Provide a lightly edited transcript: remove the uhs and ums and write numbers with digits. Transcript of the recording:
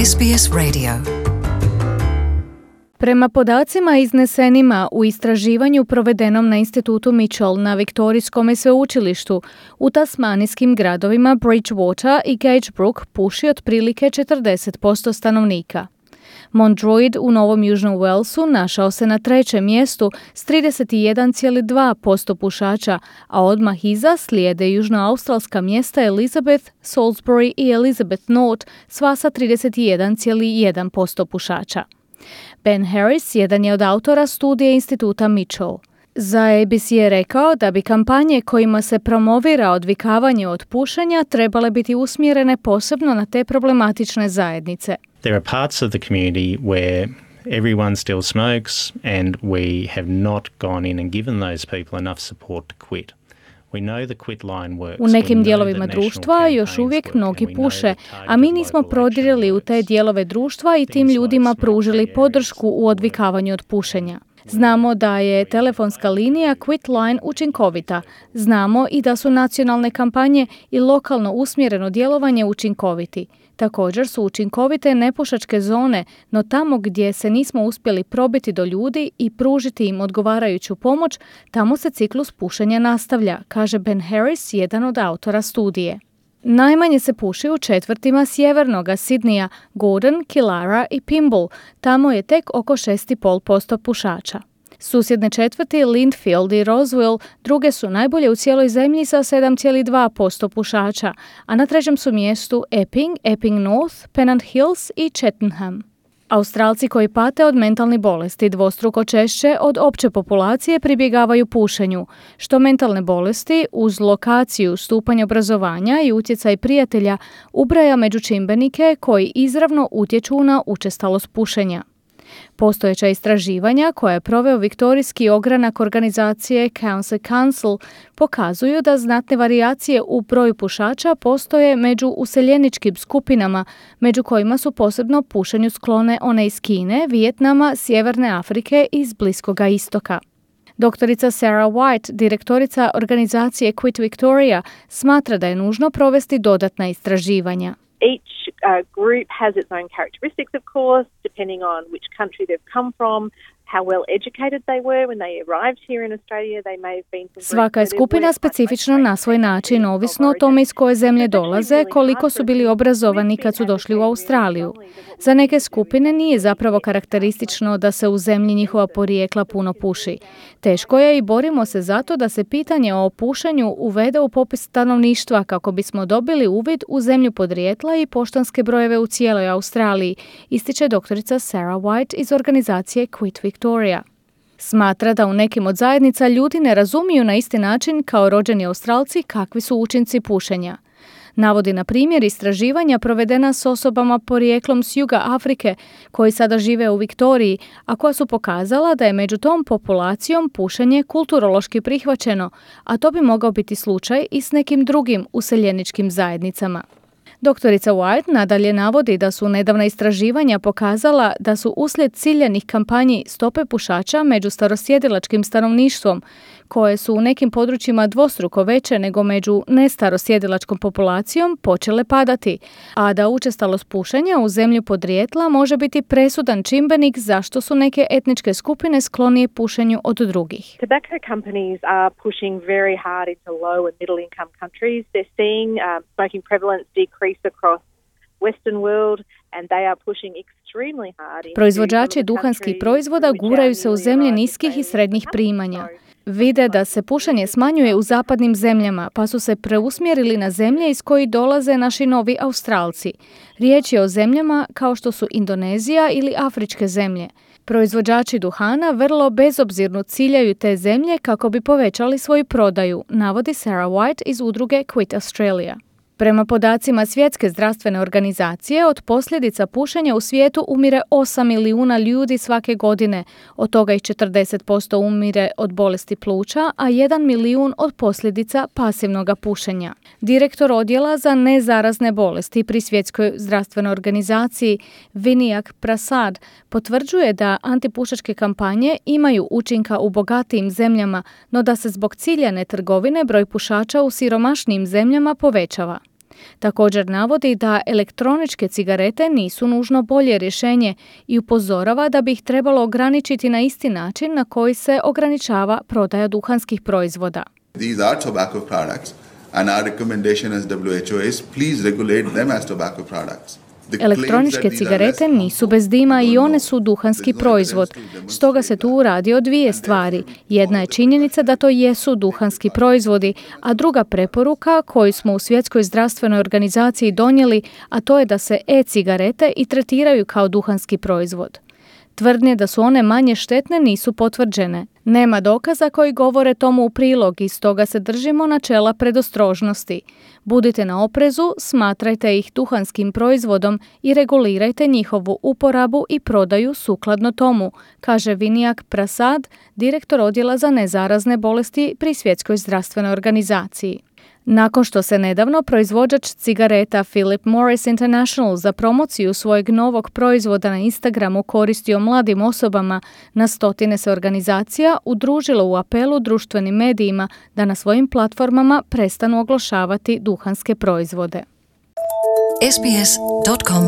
SBS Radio. Prema podacima iznesenima u istraživanju provedenom na Institutu Mitchell na Viktorijskom sveučilištu, u tasmanijskim gradovima Bridgewater i Gage Brook puši otprilike 40% stanovnika. Mount Druitt u Novom Južnom Walesu našao se na trećem mjestu s 31,2% pušača, a odmah iza slijede južnoaustralska mjesta Elizabeth, Salisbury i Elizabeth North, sva sa 31,1% pušača. Ben Harris jedan je od autora studije Instituta Mitchell. Za ABC je rekao da bi kampanje kojima se promovira odvikavanje od pušenja trebale biti usmjerene posebno na te problematične zajednice. There are parts of the community where everyone still smokes and we have not gone in and given those people enough support to quit. U nekim dijelovima društva još uvijek mnogi puše, a mi nismo prodirili u te dijelove društva i tim ljudima pružili podršku u odvikavanju od pušenja. Znamo da je telefonska linija Quitline učinkovita. Znamo i da su nacionalne kampanje i lokalno usmjereno djelovanje učinkoviti. Također su učinkovite nepušačke zone, no tamo gdje se nismo uspjeli probiti do ljudi i pružiti im odgovarajuću pomoć, tamo se ciklus pušenja nastavlja, kaže Ben Harris, jedan od autora studije. Najmanje se puši u četvrtima sjevernoga Sidneya, Gordon, Killara i Pymble. Tamo je tek oko 6,5% pušača. Susjedne četvrti Lindfield i Roswell druge su najbolje u cijeloj zemlji sa 7,2% pušača, a na trećem su mjestu Epping, Epping North, Pennant Hills i Cheltenham. Australci koji pate od mentalnih bolesti dvostruko češće od opće populacije pribjegavaju pušenju, što mentalne bolesti uz lokaciju, stupanj obrazovanja i utjecaj prijatelja ubraja među čimbenike koji izravno utječu na učestalost pušenja. Postojeća istraživanja koje je proveo viktorijski ogranak organizacije Council pokazuju da znatne varijacije u broju pušača postoje među useljeničkim skupinama, među kojima su posebno pušenju sklone one iz Kine, Vijetnama, Sjeverne Afrike i iz Bliskoga istoka. Doktorica Sarah White, direktorica organizacije Quit Victoria, smatra da je nužno provesti dodatna istraživanja. Each group has its own characteristics, of course, depending on which country they've come from, how well educated they were when they arrived here in Australia. They may have been from Svaka je skupina specifična na svoj način, ovisno o tome iz koje zemlje dolaze, koliko su bili obrazovani kad su došli u Australiju. Za neke skupine nije zapravo karakteristično da se u zemlji njihova porijekla puno puši. Teško je i borimo se zato da se pitanje o pušenju uvede u popis stanovništva kako bismo dobili uvid u zemlju podrijetla i poštanske brojeve u cijeloj Australiji, ističe doktorica Sarah White iz organizacije Quit Victoria. Smatra da u nekim od zajednica ljudi ne razumiju na isti način kao rođeni Australci kakvi su učinci pušenja. Navodi na primjer istraživanja provedena s osobama porijeklom s juga Afrike koji sada žive u Viktoriji, a koja su pokazala da je među tom populacijom pušenje kulturološki prihvaćeno, a to bi mogao biti slučaj i s nekim drugim useljeničkim zajednicama. Doktorica White nadalje navodi da su nedavna istraživanja pokazala da su uslijed ciljanih kampanji stope pušača među starosjedilačkim stanovništvom, koje su u nekim područjima dvostruko veće nego među nestarosjedilačkom populacijom, počele padati, a da učestalost pušenja u zemlju podrijetla može biti presudan čimbenik zašto su neke etničke skupine sklonije pušenju od drugih. Tobacco companies are pushing very hard into low and middle income countries. They're seeing smoking prevalence decrease across Western world and they are pushing extremely hard. Proizvođači duhanskih proizvoda guraju se u zemlje niskih i srednjih primanja. Vide da se pušenje smanjuje u zapadnim zemljama, pa su se preusmjerili na zemlje iz kojih dolaze naši novi Australci. Riječ je o zemljama kao što su Indonezija ili afričke zemlje. Proizvođači duhana vrlo bezobzirno ciljaju te zemlje kako bi povećali svoju prodaju, navodi Sarah White iz udruge Quit Australia. Prema podacima Svjetske zdravstvene organizacije, od posljedica pušenja u svijetu umire 8 milijuna ljudi svake godine, od toga ih 40% umire od bolesti pluća, a 1 milijun od posljedica pasivnog pušenja. Direktor odjela za nezarazne bolesti pri Svjetskoj zdravstvenoj organizaciji Vinayak Prasad potvrđuje da antipušačke kampanje imaju učinka u bogatijim zemljama, no da se zbog ciljane trgovine broj pušača u siromašnijim zemljama povećava. Također navodi da elektroničke cigarete nisu nužno bolje rješenje i upozorava da bi ih trebalo ograničiti na isti način na koji se ograničava prodaja duhanskih proizvoda. These are tobacco products and our recommendation as WHO is please regulate them as tobacco products. Elektroničke cigarete nisu bez dima i one su duhanski proizvod. Stoga se tu radi o dvije stvari. Jedna je činjenica da to jesu duhanski proizvodi, a druga preporuka koju smo u Svjetskoj zdravstvenoj organizaciji donijeli, a to je da se e-cigarete i tretiraju kao duhanski proizvod. Tvrdnje da su one manje štetne nisu potvrđene. Nema dokaza koji govore tomu u prilog i stoga se držimo načela predostrožnosti. Budite na oprezu, smatrajte ih duhanskim proizvodom i regulirajte njihovu uporabu i prodaju sukladno tomu, kaže Vinayak Prasad, direktor odjela za nezarazne bolesti pri Svjetskoj zdravstvenoj organizaciji. Nakon što se nedavno proizvođač cigareta Philip Morris International za promociju svojeg novog proizvoda na Instagramu koristio mladim osobama, na stotine se organizacija udružilo u apelu društvenim medijima da na svojim platformama prestanu oglašavati duhanske proizvode. sbs.com.au